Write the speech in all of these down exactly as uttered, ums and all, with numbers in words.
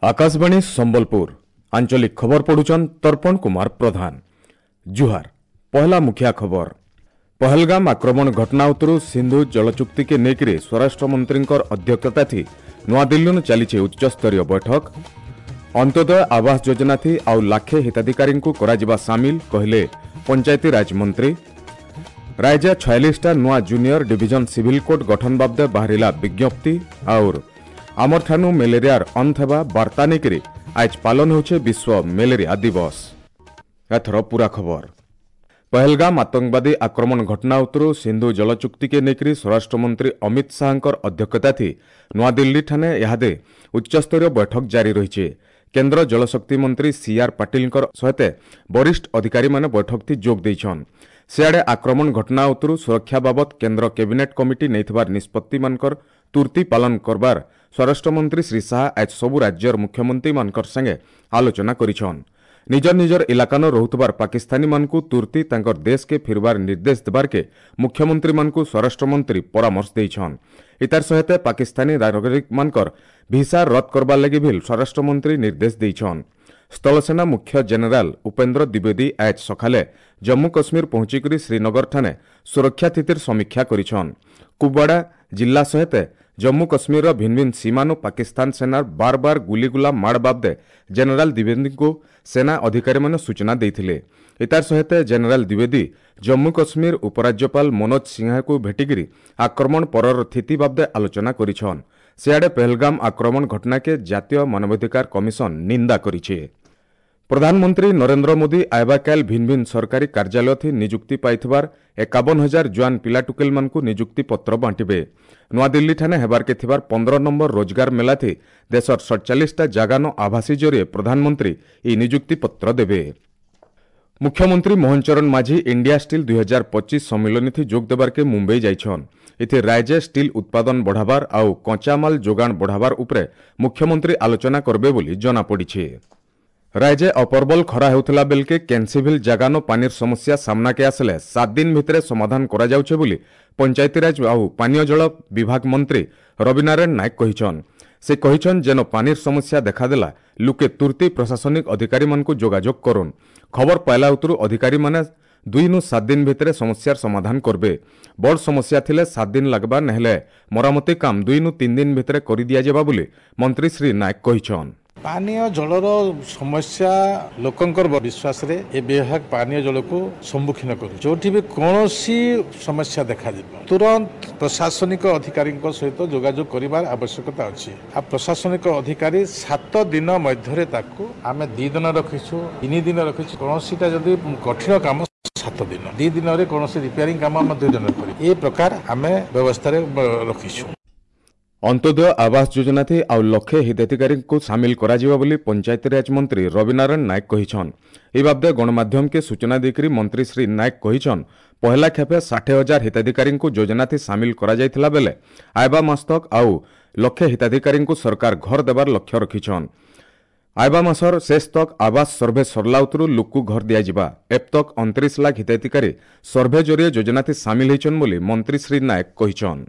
ଆକାଶବାଣୀ ସମ୍ବଲପୁର ଆଞ୍ଚଳିକ ଖବର ପଢୁଛନ୍ ତର୍ପଣ କୁମାର ପ୍ରଧାନ। ଜୁହାର। ପହଲା ମୁଖିଆ ଖବର। ପହଲଗାମ ଆକ୍ରମଣ ଘଟଣା ଉତ୍ତରୁ ସିନ୍ଧୁ ଜଳଚୁକ୍ତିକେ ନେଇକରି ସ୍ୱରାଷ୍ଟ୍ରମନ୍ତ୍ରୀଙ୍କର ଅଧ୍ୟକ୍ଷତାଥି ନୂଆଦିଲ୍ଲୀନୁ ଚାଲିছে ଉଚ୍ଚସ୍ତରୀୟ ବୈଠକ। ଅନ୍ତ୍ୟୋଦୟ ଆବାସ ଯୋଜନାଥି ଆଉ ଲାଖେ ହିତାଧିକାରୀଙ୍କୁ କରାଯିବା ସାମିଲ କହିଲେ ପଞ୍ଚାୟତିରାଜ ମନ୍ତ୍ରୀ। ରାଜ୍ୟ ଛୟାଳିଶଟା ନୂଆ ଜୁନିୟର ଡିଭିଜନ ସିଭିଲ କୋର୍ଟ ଗଠନ ବାବଦେ ବାହାରିଲା ବିଜ୍ଞପ୍ତି। ଆଉର ଆମରଠାନୁ ମ୍ୟାଲେରିଆର ଅନ୍ତ ହେବା ବାର୍ତ୍ତା ନେଇକରି ଆଜ ପାଳନ ହେଉଛି ବିଶ୍ୱ ମ୍ୟାଲେରିଆ ଦିବସ। ଏଥର ପୁରା ଖବର। ପହଲଗାମ ଆତଙ୍କବାଦୀ ଆକ୍ରମଣ ଘଟଣା ଉତ୍ତରୁ ସିନ୍ଧୁ ଜଳଚୁକ୍ତିକେ ନେଇକରି ସ୍ୱରାଷ୍ଟ୍ରମନ୍ତ୍ରୀ ଅମିତ ଶାହାଙ୍କର ଅଧ୍ୟକ୍ଷତାଥି ନୂଆଦିଲ୍ଲୀଠାନେ ଇହାଦେ ଉଚ୍ଚସ୍ତରୀୟ ବୈଠକ ଜାରି ରହିଛି। କେନ୍ଦ୍ର ଜଳଶକ୍ତି ମନ୍ତ୍ରୀ ସିଆର୍ ପାଟିଲଙ୍କର ସହିତ ବରିଷ୍ଠ ଅଧିକାରୀମାନେ ବୈଠକଥି ଯୋଗ ଦେଇଛନ୍। ସିଆଡ଼େ ଆକ୍ରମଣ ଘଟଣା ଉତ୍ତରୁ ସୁରକ୍ଷା ବାବଦ କେନ୍ଦ୍ର କ୍ୟାବିନେଟ୍ କମିଟି ନେଇଥିବାର ନିଷ୍ପତ୍ତିମାନଙ୍କର ତୁର୍ତ୍ତି ପାଳନ କରବାର ସ୍ୱରାଷ୍ଟ୍ରମନ୍ତ୍ରୀ ଶ୍ରୀ ଶାହା ଆଜ ସବୁ ରାଜ୍ୟର ମୁଖ୍ୟମନ୍ତ୍ରୀମାନଙ୍କର ସାଙ୍ଗେ ଆଲୋଚନା କରିଛନ୍। ନିଜର ନିଜର ଇଲାକାନ ରହୁଥିବାର ପାକିସ୍ତାନୀମାନଙ୍କୁ ତୁର୍ତ୍ତି ତାଙ୍କର ଦେଶକେ ଫିରବାର ନିର୍ଦ୍ଦେଶ ଦେବାର୍କେ ମୁଖ୍ୟମନ୍ତ୍ରୀମାନଙ୍କୁ ସ୍ୱରାଷ୍ଟ୍ରମନ୍ତ୍ରୀ ପରାମର୍ଶ ଦେଇଛନ୍। ଇତାର ସହିତ ପାକିସ୍ତାନୀ ନାଗରିକମାନଙ୍କର ଭିସା ରଦ୍ଦ କରବାର ଲାଗି ଭିଲ୍ ସ୍ୱରାଷ୍ଟ୍ରମନ୍ତ୍ରୀ ନିର୍ଦ୍ଦେଶ ଦେଇଛନ୍। ସ୍ଥଳସେନା ମୁଖ୍ୟ ଜେନେରାଲ ଉପେନ୍ଦ୍ର ଦ୍ୱିବେଦୀ ଆଜ ସକାଳେ ଜମ୍ମୁ କଶ୍ମୀର ପହଞ୍ଚିକରି ଶ୍ରୀନଗରଠାନେ ସୁରକ୍ଷା ସ୍ଥିତିର ସମୀକ୍ଷା କରିଛନ୍। କୁପୱାଡ଼ା ଜିଲ୍ଲା ସହିତ ଜମ୍ମୁ କଶ୍ମୀରର ଭିନ୍ନ ଭିନ୍ନ ସୀମାନୁ ପାକିସ୍ତାନ ସେନାର ବାର ବାର ଗୁଲିଗୁଲା ମାଡ଼ ବାବଦେ ଜେନେରାଲ ଦ୍ୱିବେଦୀଙ୍କୁ ସେନା ଅଧିକାରୀମାନେ ସୂଚନା ଦେଇଥିଲେ। ଏତାର ସହିତ ଜେନେରାଲ ଦ୍ୱିବେଦୀ ଜମ୍ମୁ କଶ୍ମୀର ଉପରାଜ୍ୟପାଳ ମନୋଜ ସିଂହାକୁ ଭେଟିକରି ଆକ୍ରମଣ ପରର ସ୍ଥିତି ବାବଦେ ଆଲୋଚନା କରିଛନ୍। ସିଆଡ଼େ ପହଲଗାମ ଆକ୍ରମଣ ଘଟଣାକେ ଜାତୀୟ ମାନବାଧିକାର କମିଶନ ନିନ୍ଦା କରିছে। ପ୍ରଧାନମନ୍ତ୍ରୀ ନରେନ୍ଦ୍ର ମୋଦି ଆଇବାକାଲ ଭିନ୍ନ ଭିନ୍ନ ସରକାରୀ କାର୍ଯ୍ୟାଳୟଥି ନିଯୁକ୍ତି ପାଇଥିବାର ଏକାବନ ହଜାର ଜୁଆନ ପିଲାଟୁକେଲମାନଙ୍କୁ ନିଯୁକ୍ତି ପତ୍ର ବାଣ୍ଟିବେ। ନୂଆଦିଲ୍ଲୀଠାନେ ହେବାର୍କେ ଥିବାର ପନ୍ଦର ନମ୍ବର ରୋଜଗାର ମେଲାଥି ଦେଶର ସଡ଼ଚାଳିଶଟା ଜାଗାନ ଆଭାସୀ ଜରିଏ ପ୍ରଧାନମନ୍ତ୍ରୀ ଏହି ନିଯୁକ୍ତି ପତ୍ର ଦେବେ। ମୁଖ୍ୟମନ୍ତ୍ରୀ ମୋହନ ଚରଣ ମାଝୀ ଇଣ୍ଡିଆ ଷ୍ଟିଲ୍ ଦୁଇ ହଜାର ପଚିଶ ସମ୍ମିଳନୀଥି ଯୋଗ ଦେବାର୍କେ ମୁମ୍ବାଇ ଯାଇଛନ୍। ଏଥି ରାଜ୍ୟ ଷ୍ଟିଲ୍ ଉତ୍ପାଦନ ବଢ଼ାବାର ଆଉ କଞ୍ଚାମାଲ ଯୋଗାଣ ବଢ଼ାବାର ଉପରେ ମୁଖ୍ୟମନ୍ତ୍ରୀ ଆଲୋଚନା କରବେ ବୋଲି ଜଣାପଡ଼ିছে। ରାଜ୍ୟ ଅପର୍ବଲ ଖରା ହେଉଥିଲା ବେଲକେ କେନ୍ସିଭିଲ ଜାଗାନ ପାନିର ସମସ୍ୟା ସାମ୍ନାକେ ଆସିଲେ ସାତ ଦିନ ଭିତରେ ସମାଧାନ କରାଯାଉଛେ ବୋଲି ପଞ୍ଚାୟତିରାଜ ଆଉ ପାନୀୟ ଜଳ ବିଭାଗ ମନ୍ତ୍ରୀ ରବିନାରାୟଣ ନାୟକ କହିଛନ୍। ସେ କହିଛନ୍ ଯେନ ପାନିର ସମସ୍ୟା ଦେଖାଦେଲା ଲୁକେ ତୁର୍ତ୍ତି ପ୍ରଶାସନିକ ଅଧିକାରୀମାନଙ୍କୁ ଯୋଗାଯୋଗ କରୁନ୍। ଖବର ପାଇଲା ଉତ୍ତରୁ ଅଧିକାରୀମାନେ ଦୁଇନୁ ସାତ ଦିନ ଭିତରେ ସମସ୍ୟାର ସମାଧାନ କରବେ। ବଡ଼ ସମସ୍ୟା ଥିଲେ ସାତ ଦିନ ଲାଗବା, ନହେଲେ ମରାମତି କାମ ଦୁଇନୁ ତିନି ଦିନ ଭିତରେ କରିଦିଆଯିବା ବୋଲି ମନ୍ତ୍ରୀ ଶ୍ରୀ ନାୟକ କହିଛନ୍। ପାନୀୟ ଜଳର ସମସ୍ୟା ଲୋକଙ୍କର ବିଶ୍ୱାସରେ ଏ ବିଭାଗ ପାନୀୟ ଜଳକୁ ସମ୍ମୁଖୀନ କରୁଛି। ଯୋଉଠି ବି କୌଣସି ସମସ୍ୟା ଦେଖାଯିବ ତୁରନ୍ତ ପ୍ରଶାସନିକ ଅଧିକାରୀଙ୍କ ସହିତ ଯୋଗାଯୋଗ କରିବାର ଆବଶ୍ୟକତା ଅଛି। ଆଉ ପ୍ରଶାସନିକ ଅଧିକାରୀ ସାତ ଦିନ ମଧ୍ୟରେ ତାକୁ ଆମେ ଦି ଦିନ ରଖିଛୁ, ତିନି ଦିନ ରଖିଛୁ। କୌଣସିଟା ଯଦି କଠିନ କାମ ସାତ ଦିନ, ଦି ଦିନରେ କୌଣସି ରିପେୟାରିଂ କାମ ଆମେ ଦୁଇ ଦିନରେ କରିବୁ। ଏ ପ୍ରକାର ଆମେ ବ୍ୟବସ୍ଥାରେ ରଖିଛୁ। ଅନ୍ତ୍ୟୋଦୟ ଆବାସ ଯୋଜନାଥି ଆଉ ଲକ୍ଷେ ହିତାଧିକାରୀଙ୍କୁ ସାମିଲ କରାଯିବ ବୋଲି ପଞ୍ଚାୟତିରାଜ ମନ୍ତ୍ରୀ ରବିନାରାୟଣ ନାୟକ କହିଛନ୍। ଏ ବାବଦେ ଗଣମାଧ୍ୟମକେ ସୂଚନା ଦେଇକରି ମନ୍ତ୍ରୀ ଶ୍ରୀ ନାୟକ କହିଛନ୍, ପହଲା ଖେପେ ଷାଠିଏ ହଜାର ହିତାଧିକାରୀଙ୍କୁ ଯୋଜନାଥି ସାମିଲ କରାଯାଇଥିଲା ବେଲେ ଆଇବା ମାସ ତକ ଆଉ ଲକ୍ଷେ ହିତାଧିକାରୀଙ୍କୁ ସରକାର ଘର ଦେବାର ଲକ୍ଷ୍ୟ ରଖିଛନ୍। ଆଇବା ମାସର ଶେଷ ତକ ଆବାସ ସର୍ଭେ ସରିଲା ଉତ୍ତରୁ ଲୋକକୁ ଘର ଦିଆଯିବା। ଏପ୍ ତକ ଅଣତିରିଶ ଲାଖ ହିତାଧିକାରୀ ସର୍ଭେ ଜରିଏ ଯୋଜନାଥି ସାମିଲ ହେଇଛନ୍ ବୋଲି ମନ୍ତ୍ରୀ ଶ୍ରୀ ନାୟକ କହିଛନ୍।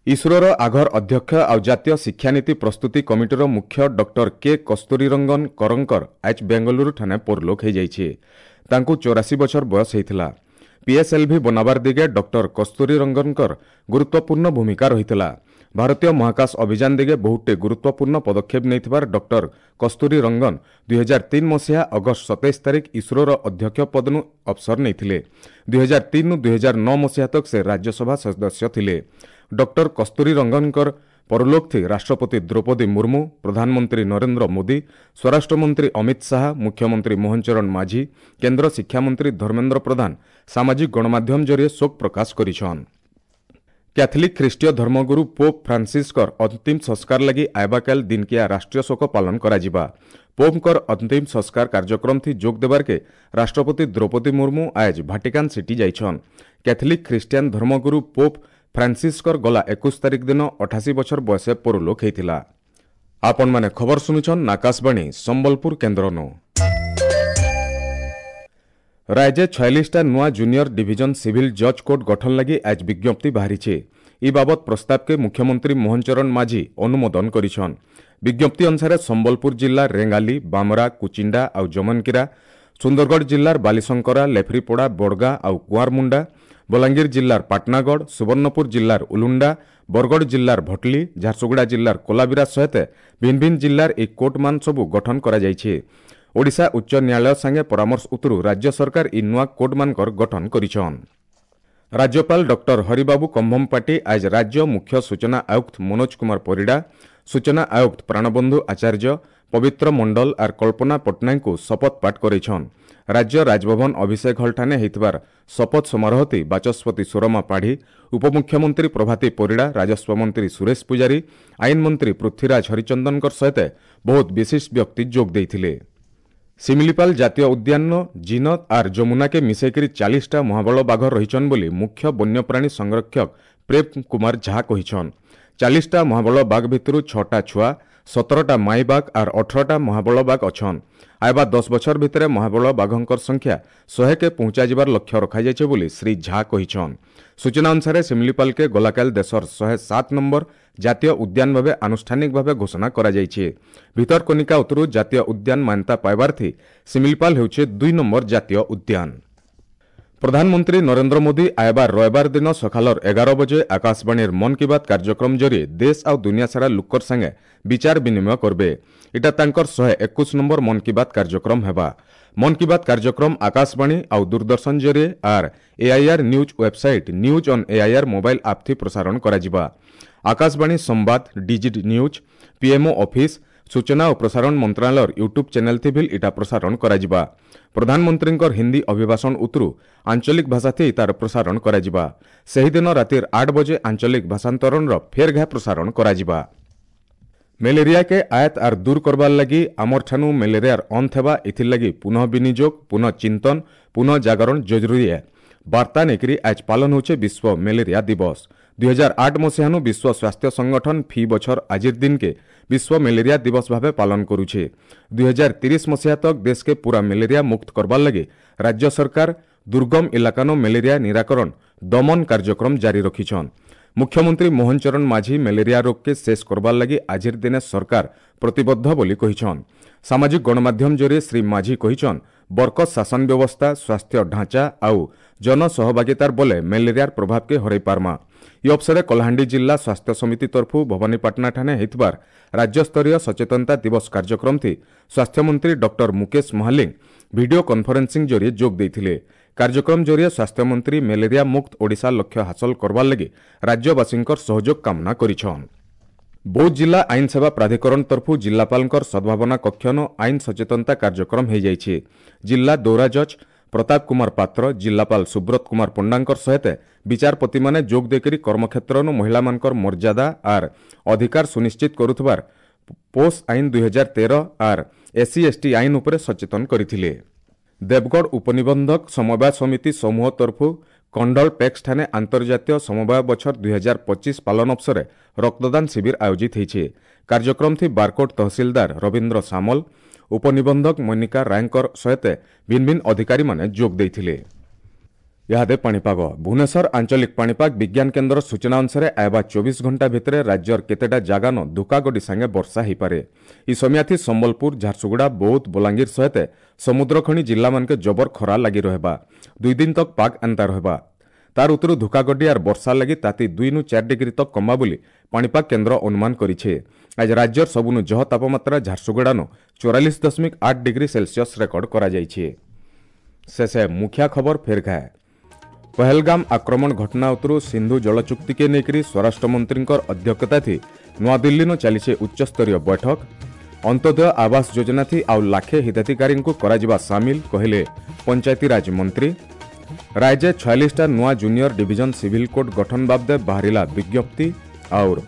ଇସ୍ରୋର ଆଘର ଅଧ୍ୟକ୍ଷ ଆଉ ଜାତୀୟ ଶିକ୍ଷାନୀତି ପ୍ରସ୍ତୁତି କମିଟିର ମୁଖ୍ୟ ଡକ୍ଟର କେ କସ୍ତୁରୀରଙ୍ଗନ କରଙ୍କର ଆଜ ବେଙ୍ଗାଲୁରୁଠାନେ ପରଲୋକ ହୋଇଯାଇଛି। ତାଙ୍କୁ ଚଉରାଶୀ ବଛର ବୟସ ହୋଇଥିଲା। ପିଏସ୍ଏଲ୍ଭି ବନାବାର ଦିଗେ ଡକ୍ଟର କସ୍ତୁରୀରଙ୍ଗନଙ୍କର ଗୁରୁତ୍ୱପୂର୍ଣ୍ଣ ଭୂମିକା ରହିଥିଲା। ଭାରତୀୟ ମହାକାଶ ଅଭିଯାନ ଦିଗେ ବହୁଟେ ଗୁରୁତ୍ୱପୂର୍ଣ୍ଣ ପଦକ୍ଷେପ ନେଇଥିବାର ଡକ୍ଟର କସ୍ତୁରୀ ରଙ୍ଗନ ଦୁଇ ହଜାର ତିନି ମସିହା ଅଗଷ୍ଟ ସତେଇଶ ତାରିଖ ଇସ୍ରୋର ଅଧ୍ୟକ୍ଷ ପଦନୁ ଅବସର ନେଇଥିଲେ। ଦୁଇ ହଜାର ତିନିରୁ ଦୁଇ ହଜାର ନଅ ମସିହା ତକ ସେ ରାଜ୍ୟସଭା ସଦସ୍ୟ ଥିଲେ। ଡକ୍ଟର କସ୍ତୁରୀ ରଙ୍ଗନଙ୍କର ପରଲୋକଥି ରାଷ୍ଟ୍ରପତି ଦ୍ରୌପଦୀ ମୁର୍ମୁ, ପ୍ରଧାନମନ୍ତ୍ରୀ ନରେନ୍ଦ୍ର ମୋଦି, ସ୍ୱରାଷ୍ଟ୍ରମନ୍ତ୍ରୀ ଅମିତ ଶାହା, ମୁଖ୍ୟମନ୍ତ୍ରୀ ମୋହନ ଚରଣ ମାଝୀ, କେନ୍ଦ୍ର ଶିକ୍ଷାମନ୍ତ୍ରୀ ଧର୍ମେନ୍ଦ୍ର ପ୍ରଧାନ ସାମାଜିକ ଗଣମାଧ୍ୟମ ଜରିଏ ଶୋକ ପ୍ରକାଶ କରିଛନ୍। କ୍ୟାଥଲିକ୍ ଖ୍ରୀଷ୍ଟୀୟ ଧର୍ମଗୁରୁ ପୋପ୍ ଫ୍ରାନ୍ସିସ୍କର ଅନ୍ତିମ ସଂସ୍କାର ଲାଗି ଆଇବାକାଲ ଦିନକିଆ ରାଷ୍ଟ୍ରୀୟ ଶୋକ ପାଳନ କରାଯିବା। ପୋପ୍ଙ୍କର ଅନ୍ତିମ ସଂସ୍କାର କାର୍ଯ୍ୟକ୍ରମଥି ଯୋଗ ଦେବାର୍କେ ରାଷ୍ଟ୍ରପତି ଦ୍ରୌପଦୀ ମୁର୍ମୁ ଆଜ ଭାଟିକାନ ସିଟି ଯାଇଛନ୍। କ୍ୟାଥଲିକ୍ ଖ୍ରୀଷ୍ଟିଆନ ଧର୍ମଗୁରୁ ପୋପ୍ ଫ୍ରାନ୍ସିସ୍କର ଗଲା ଏକୋଇଶ ତାରିଖ ଦିନ ଅଠାଅଶୀ ବଛର ବୟସେ ପରଲୋକ ହେଇଥିଲା। ଆପଣମାନେ ଖବର ଶୁଣୁଛନ୍ ଆକାଶବାଣୀ ସମ୍ବଲପୁର କେନ୍ଦ୍ରନୁ। ରାଜ୍ୟ ଛୟାଳିଶଟା ନୂଆ ଜୁନିୟର ଡିଭିଜନ ସିଭିଲ ଜଜ୍ କୋର୍ଟ ଗଠନ ଲାଗି ଆଜ ବିଜ୍ଞପ୍ତି ବାହାରିছে। ଇ ବାବଦ ପ୍ରସ୍ତାବକେ ମୁଖ୍ୟମନ୍ତ୍ରୀ ମୋହନ ଚରଣ ମାଝୀ ଅନୁମୋଦନ କରିଛନ୍। ବିଜ୍ଞପ୍ତି ଅନୁସାରେ ସମ୍ବଲପୁର ଜିଲ୍ଲା ରେଙ୍ଗାଲି, ବାମରା, କୁଚିଣ୍ଡା ଆଉ ଜମନକିରା, ସୁନ୍ଦରଗଡ଼ ଜିଲ୍ଲାର ବାଲିଶଙ୍କରା, ଲେଫ୍ରିପଡ଼ା, ବଡ଼ଗାଁ ଆଉ କୁଆଁରମୁଣ୍ଡା, ବଲାଙ୍ଗୀର ଜିଲ୍ଲାର ପାଟନାଗଡ଼, ସୁବର୍ଣ୍ଣପୁର ଜିଲ୍ଲାର ଉଲୁଣ୍ଡା, ବରଗଡ଼ ଜିଲ୍ଲାର ଭଟଲି, ଝାରସୁଗୁଡ଼ା ଜିଲ୍ଲାର କୋଲାବିରା ସହିତ ଭିନ୍ନ ଭିନ୍ନ ଜିଲ୍ଲାର ଏହି କୋର୍ଟମାନ ସବୁ ଗଠନ କରାଯାଇଛି। ଓଡ଼ିଶା ଉଚ୍ଚ ନ୍ୟାୟାଳୟ ସାଙ୍ଗେ ପରାମର୍ଶ ଉତରୁ ରାଜ୍ୟ ସରକାର ଇ ନୂଆ କୋର୍ଟମାନଙ୍କର ଗଠନ କରିଛନ୍। ରାଜ୍ୟପାଳ ଡକ୍ଟର ହରିବାବୁ କମ୍ଭମପାଟି ଆଜ ରାଜ୍ୟ ମୁଖ୍ୟ ସୂଚନା ଆୟୁକ୍ତ ମନୋଜ କୁମାର ପରିଡ଼ା, ସୂଚନା ଆୟୁକ୍ତ ପ୍ରାଣବନ୍ଧୁ ଆଚାର୍ଯ୍ୟ, ପବିତ୍ର ମଣ୍ଡଳ ଆର୍ କଳ୍ପନା ପଟ୍ଟନାୟକଙ୍କୁ ଶପଥ ପାଠ କରାଇଛନ୍। ରାଜ୍ୟ ରାଜଭବନ ଅଭିଷେକ ହଲ୍ଠାନେ ହେଇଥିବାର ଶପଥ ସମାରୋହତି ବାଚସ୍ପତି ସୁରମା ପାଢ଼ୀ, ଉପମୁଖ୍ୟମନ୍ତ୍ରୀ ପ୍ରଭାତୀ ପରିଡ଼ା, ରାଜସ୍ୱ ମନ୍ତ୍ରୀ ସୁରେଶ ପୂଜାରୀ, ଆଇନ ମନ୍ତ୍ରୀ ପୃଥ୍ୱୀରାଜ ହରିଚନ୍ଦନଙ୍କ ସହିତ ବହୁତ ବିଶିଷ୍ଟ ବ୍ୟକ୍ତି ଯୋଗ ଦେଇଥିଲେ। ଶିମିଳିପାଲ ଜାତୀୟ ଉଦ୍ୟାନ ଜିନତ ଆର୍ ଯମୁନାକେ ମିଶେଇକରି ଚାଳିଶଟା ମହାବଳ ବାଘ ରହିଛନ୍ ବୋଲି ମୁଖ୍ୟ ବନ୍ୟପ୍ରାଣୀ ସଂରକ୍ଷକ ପ୍ରେମ କୁମାର ଝା କହିଛନ୍। ଚାଳିଶଟା ମହାବଳ ବାଘ ଭିତରୁ ଛଅଟା ଛୁଆ, ସତରଟା ମାଇ ବାଘ ଆର୍ ଅଠରଟା ମହାବଳ ବାଘ ଅଛନ୍। ଆଇବା ଦଶ ବଛର ଭିତରେ ମହାବଳ ବାଘଙ୍କର ସଂଖ୍ୟା ଶହେକେ ପହଞ୍ଚାଯିବାର ଲକ୍ଷ୍ୟ ରଖାଯାଇଛି ବୋଲି ଶ୍ରୀ ଝା କହିଛନ୍। ସୂଚନା ଅନୁସାରେ ଶିମିଳିପାଲକେ ଗଲାକାଲ ଦେଶର ଶହେ ସାତ ନମ୍ବର ଜାତୀୟ ଉଦ୍ୟାନ ଭାବେ ଆନୁଷ୍ଠାନିକ ଭାବେ ଘୋଷଣା କରାଯାଇଛି। ଭିତରକନିକା ଉତ୍ତରୁ ଜାତୀୟ ଉଦ୍ୟାନ ମାନ୍ୟତା ପାଇବାର୍ଥୀ ଶିମିଳିପାଲ ହେଉଛି ଦୁଇ ନମ୍ବର ଜାତୀୟ ଉଦ୍ୟାନ। ପ୍ରଧାନମନ୍ତ୍ରୀ ନରେନ୍ଦ୍ର ମୋଦି ଆଏବାର ରବିବାର ଦିନ ସକାଳର ଏଗାର ବଜେ ଆକାଶବାଣୀର ମନ୍ କି ବାତ୍ କାର୍ଯ୍ୟକ୍ରମ ଜରିଏ ଦେଶ ଆଉ ଦୁନିଆ ସାରା ଲୋକର ସାଙ୍ଗେ ବିଚାର ବିନିମୟ କରବେ। ଏଟା ତାଙ୍କର ଶହେ ଏକୋଇଶ ନମ୍ବର ମନ୍ କି ବାତ୍ କାର୍ଯ୍ୟକ୍ରମ ହେବା। ମନ୍ କି ବାତ୍ କାର୍ଯ୍ୟକ୍ରମ ଆକାଶବାଣୀ ଆଉ ଦୂରଦର୍ଶନ ଜରିଏ ଆର୍ AIR news website, news on AIR mobile app ଥି ପ୍ରସାରଣ କରାଯିବା। ଆକାଶବାଣୀ ସମ୍ବାଦ, ଡିଜି ନ୍ୟୁଜ୍, ପିଏମ୍ଓ ଅଫିସ୍, ସୂଚନା ଓ ପ୍ରସାରଣ ମନ୍ତ୍ରଣାଳୟର ୟୁଟ୍ୟୁବ୍ ଚ୍ୟାନେଲ୍ ଥି ଭିଲ୍ ଇଟା ପ୍ରସାରଣ କରାଯିବା। ପ୍ରଧାନମନ୍ତ୍ରୀଙ୍କର ହିନ୍ଦୀ ଅଭିଭାଷଣ ଉତରୁ ଆଞ୍ଚଳିକ ଭାଷାଥି ତାର ପ୍ରସାରଣ କରାଯିବା। ସେହିଦିନ ରାତିର ଆଠ ବଜେ ଆଞ୍ଚଳିକ ଭାଷାନ୍ତରଣର ଫେର୍ ଘା ପ୍ରସାରଣ କରାଯିବା। ମ୍ୟାଲେରିଆକେ ଆୟତ ଆର୍ ଦୂର କରବାର୍ ଲାଗି ଆମର୍ ଠାନୁ ମ୍ୟାଲେରିଆର ଅନ୍ତ ହେବା ଏଥିର୍ଲାଗି ପୁନଃ ବିନିଯୋଗ, ପୁନଃ ଚିନ୍ତନ, ପୁନଃ ଜାଗରଣ ଜରୁରୀ ଏ ବାର୍ତ୍ତା ନେଇକରି ଆଜ ପାଳନ ହେଉଛେ ବିଶ୍ୱ ମ୍ୟାଲେରିଆ ଦିବସ। ଦୁଇ ହଜାର ଆଠ ମସିହାନୁ ବିଶ୍ୱ ସ୍ୱାସ୍ଥ୍ୟ ସଂଗଠନ ଫି ବଛର ଆଜିର ଦିନକେ ବିଶ୍ୱ ମ୍ୟାଲେରିଆ ଦିବସ ଭାବେ ପାଳନ କରୁଛେ। ଦୁଇ ହଜାର ତିରିଶ ମସିହା ତକ ଦେଶକେ ପୁରା ମ୍ୟାଲେରିଆ ମୁକ୍ତ କରବାର୍ ଲାଗି ରାଜ୍ୟ ସରକାର ଦୁର୍ଗମ ଇଲାକାନୁ ମ୍ୟାଲେରିଆ ନିରାକରଣ ଦମନ କାର୍ଯ୍ୟକ୍ରମ ଜାରି ରଖିଛନ୍। ମୁଖ୍ୟମନ୍ତ୍ରୀ ମୋହନ ଚରଣ ମାଝୀ ମ୍ୟାଲେରିଆ ରୋଗକେ ଶେଷ କରବାର୍ ଲାଗି ଆଜିର ଦିନେ ସରକାର ପ୍ରତିବଦ୍ଧ ବୋଲି କହିଛନ୍। ସାମାଜିକ ଗଣମାଧ୍ୟମ ଜରିଏ ଶ୍ରୀ ମାଝୀ କହିଛନ୍, ବରକତ ଶାସନ ବ୍ୟବସ୍ଥା, ସ୍ୱାସ୍ଥ୍ୟ ଢାଞ୍ଚା ଆଉ ଜନସହଭାଗିତାର ବଲେ ମ୍ୟାଲେରିଆର ପ୍ରଭାବକେ ହରାଇ ପାରମା। ଇ ଅବସରେ କଳାହାଣ୍ଡି ଜିଲ୍ଲା ସ୍ୱାସ୍ଥ୍ୟ ସମିତି ତରଫୁ ଭବାନୀପାଟଣା ଠାନେ ହେଇଥିବାର ରାଜ୍ୟସ୍ତରୀୟ ସଚେତନତା ଦିବସ କାର୍ଯ୍ୟକ୍ରମ ଥି ସ୍ୱାସ୍ଥ୍ୟମନ୍ତ୍ରୀ doctor Mukesh Mahaling video conferencing ଜରିଏ ଯୋଗ ଦେଇଥିଲେ। କାର୍ଯ୍ୟକ୍ରମ ଜରିଏ ସ୍ୱାସ୍ଥ୍ୟମନ୍ତ୍ରୀ ମ୍ୟାଲେରିଆ ମୁକ୍ତ ଓଡ଼ିଶା ଲକ୍ଷ୍ୟ ହାସଲ କରବାର୍ ଲାଗି ରାଜ୍ୟବାସୀଙ୍କର ସହଯୋଗ କାମନା କରିଛନ୍। ବୌଦ୍ଧ ଜିଲ୍ଲା ଆଇନ ସେବା ପ୍ରାଧିକରଣ ତରଫୁ ଜିଲ୍ଲାପାଳଙ୍କର ସଦ୍ଭାବନା କକ୍ଷନ ଆଇନ ସଚେତନତା କାର୍ଯ୍ୟକ୍ରମ ହୋଇଯାଇଛି। ଜିଲ୍ଲା ଦୌରା ଜଜ୍ ପ୍ରତାପ କୁମାର ପାତ୍ର, ଜିଲ୍ଲାପାଳ ସୁବ୍ରତ କୁମାର ପଣ୍ଡାଙ୍କର ସହିତ ବିଚାରପତିମାନେ ଯୋଗ ଦେଇକରି କର୍ମକ୍ଷେତ୍ରନୁ ମହିଳାମାନଙ୍କର ମର୍ଯ୍ୟାଦା ଆର୍ ଅଧିକାର ସୁନିଶ୍ଚିତ କରୁଥିବାର ପୋସ୍ ଆଇନ ଦୁଇ ହଜାର ତେର ଆର୍ ଏସ୍ସି ଏସ୍ଟି ଆଇନ ଉପରେ ସଚେତନ କରିଥିଲେ। ଦେବଗଡ଼ ଉପନିବନ୍ଧକ ସମବାୟ ସମିତି ସମୂହ ତରଫୁ କଣ୍ଡଳ ପେକ୍ସ ଠାନେ ଆନ୍ତର୍ଜାତୀୟ ସମବାୟ ବଛର ଦୁଇ ହଜାର ପଚିଶ ପାଳନ ଅବସରେ ରକ୍ତଦାନ ଶିବିର ଆୟୋଜିତ ହୋଇଛି। କାର୍ଯ୍ୟକ୍ରମ ଥି ବାରକୋଟ ତହସିଲଦାର ରବୀନ୍ଦ୍ର ସାମଲ, ଉପନିବନ୍ଧକ ମନିକା ରାୟଙ୍କର ସହିତ ଭିନ୍ନ ଭିନ୍ନ ଅଧିକାରୀମାନେ ଯୋଗ ଦେଇଥିଲେ। ଇହାଦେ ପାଣିପାଗ। ଭୁବନେଶ୍ୱର ଆଞ୍ଚଳିକ ପାଣିପାଗ ବିଜ୍ଞାନ କେନ୍ଦ୍ର ସୂଚନା ଅନୁସାରେ ଆଇବା ଚବିଶ ଘଣ୍ଟା ଭିତରେ ରାଜ୍ୟର କେତେଟା ଜାଗାନ ଧୁକାଗଡ଼ି ସାଙ୍ଗେ ବର୍ଷା ହୋଇପାରେ। ଇ ସମିଆଥି ସମ୍ବଲପୁର, ଝାରସୁଗୁଡ଼ା, ବୌଦ୍ଧ, ବଲାଙ୍ଗୀର ସହିତ ସମୁଦ୍ରଖଣି ଜିଲ୍ଲାମାନକେ ଜବର ଖରା ଲାଗି ରହିବା। ଦୁଇ ଦିନ ତକ ପାଗ ଏନ୍ତା ରହିବା। ତାର ଉତ୍ତରୁ ଧୁକାଗଡ଼ି ଆର୍ ବର୍ଷା ଲାଗି ତାତି ଦୁଇନୁ ଚାରି ଡିଗ୍ରୀ ତକ କମା ବୋଲି ପାଣିପାଗ କେନ୍ଦ୍ର ଅନୁମାନ କରିଛେ। ଆজ ରାଜ୍ୟର ସବୁନୁ ଜହ ତାପମାତ୍ରା ଝାରସୁଗୁଡ଼ାନୁ ଚଉରାଳିଶ ଦଶମିକ ଆଠ ଡିଗ୍ରୀ ସେଲସିୟସ୍ ରେକର୍ଡ କରାଯାଇଛି। ଶେଷେ ମୁଖିଆ ଖବର ଫେର ଘାଏ। ପହଲଗାମ ଆକ୍ରମଣ ଘଟଣା ଉତ୍ତରୁ ସିନ୍ଧୁ ଜଳଚୁକ୍ତିକେ ନେଇକରି ସ୍ୱରାଷ୍ଟ୍ରମନ୍ତ୍ରୀଙ୍କର ଅଧ୍ୟକ୍ଷତା ଥି ନୂଆଦିଲ୍ଲୀନୁ ଚାଲିଛେ ଉଚ୍ଚସ୍ତରୀୟ ବୈଠକ। ଅନ୍ତ୍ୟୋଦୟ ଆବାସ ଯୋଜନା ଥି ଆଉ ଲାଖେ ହିତାଧିକାରୀଙ୍କୁ କରାଯିବା ସାମିଲ କହିଲେ ପଞ୍ଚାୟତିରାଜ ମନ୍ତ୍ରୀ। ରାଜ୍ୟ ଛୟାଳିଶଟା ନୂଆ ଜୁନିୟର ଡିଭିଜନ ସିଭିଲ କୋର୍ଟ ଗଠନ ବାବଦେ ବାହାରିଲା ବିଜ୍ଞପ୍ତି। ଆଉର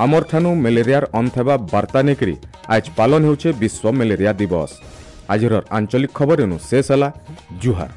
ଆମର ଠାନୁ ମ୍ୟାଲେରିଆର ଅନ୍ତ ହେବା ବାର୍ତ୍ତା ନେଇକରି ଆଜ ପାଳନ ହେଉଛେ ବିଶ୍ୱ ମ୍ୟାଲେରିଆ ଦିବସ। ଆଜିର ଆଞ୍ଚଳିକ ଖବର ଏନୁ ଶେଷ ହେଲା। ଜୁହାର।